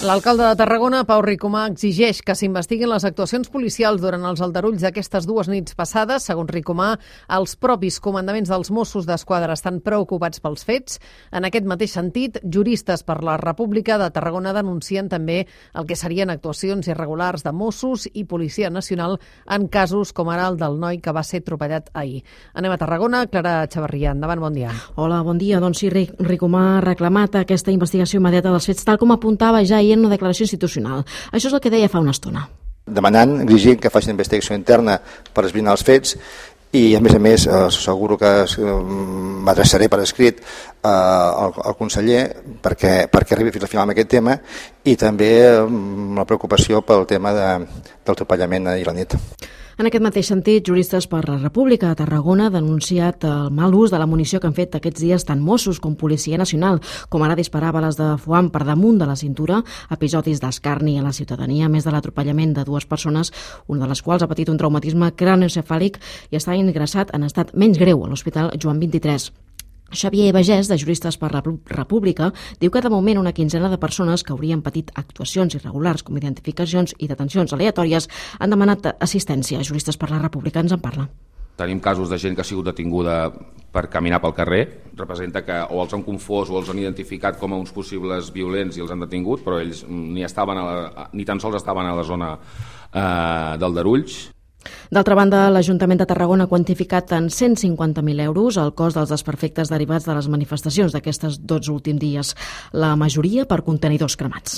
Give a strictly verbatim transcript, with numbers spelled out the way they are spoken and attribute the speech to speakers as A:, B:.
A: L'alcalde de Tarragona, Pau Ricomà, exigeix que s'investiguin les actuacions policials durant els aldarulls d'aquestes dues nits passades. Segons Ricomà, els propis comandaments dels Mossos d'Esquadra estan preocupats pels fets. En aquest mateix sentit, juristes per la República de Tarragona denuncien també el que serien actuacions irregulars de Mossos i Policia Nacional en casos com ara el del noi que va ser atropellat ahir. Anem a Tarragona. Clara Xavarria, endavant, bon dia.
B: Hola, bon dia. Doncs sí, Ricomà ha reclamat aquesta investigació immediata dels fets, tal com apuntava ja ahir en una declaració institucional. Això és el que deia fa una estona.
C: Demanant, exigint que facin investigació interna per esbrinar els fets i, a més a més, asseguro que m'adreçaré per escrit al, al conseller perquè, perquè arribi fins al final amb aquest tema i també la preocupació pel tema de, del atropellament ahir a la nit.
B: En aquest mateix sentit, juristes per la República de Tarragona han denunciat el mal ús de la munició que han fet aquests dies tant Mossos com Policia Nacional, com ara disparar bales de foam per damunt de la cintura, episodis d'escarni a la ciutadania, a més de l'atropellament de dues persones, una de les quals ha patit un traumatisme cranioencefàlic i està ingressat en estat menys greu a l'Hospital Joan vint-i-tres. Xavier Bagès, de Juristes per la República, diu que de moment una quinzena de persones que haurien patit actuacions irregulars com identificacions i detencions aleatòries han demanat assistència. Juristes per la República ens en parla.
D: Tenim casos de gent que ha sigut detinguda per caminar pel carrer. Representa que o els han confós o els han identificat com a uns possibles violents i els han detingut, però ells ni, estaven a la, ni tan sols estaven a la zona eh, d'Aldarulls.
B: D'altra banda, l'Ajuntament de Tarragona ha quantificat en cent cinquanta mil euros el cost dels desperfectes derivats de les manifestacions d'aquestes dotze últims dies, la majoria per contenidors cremats.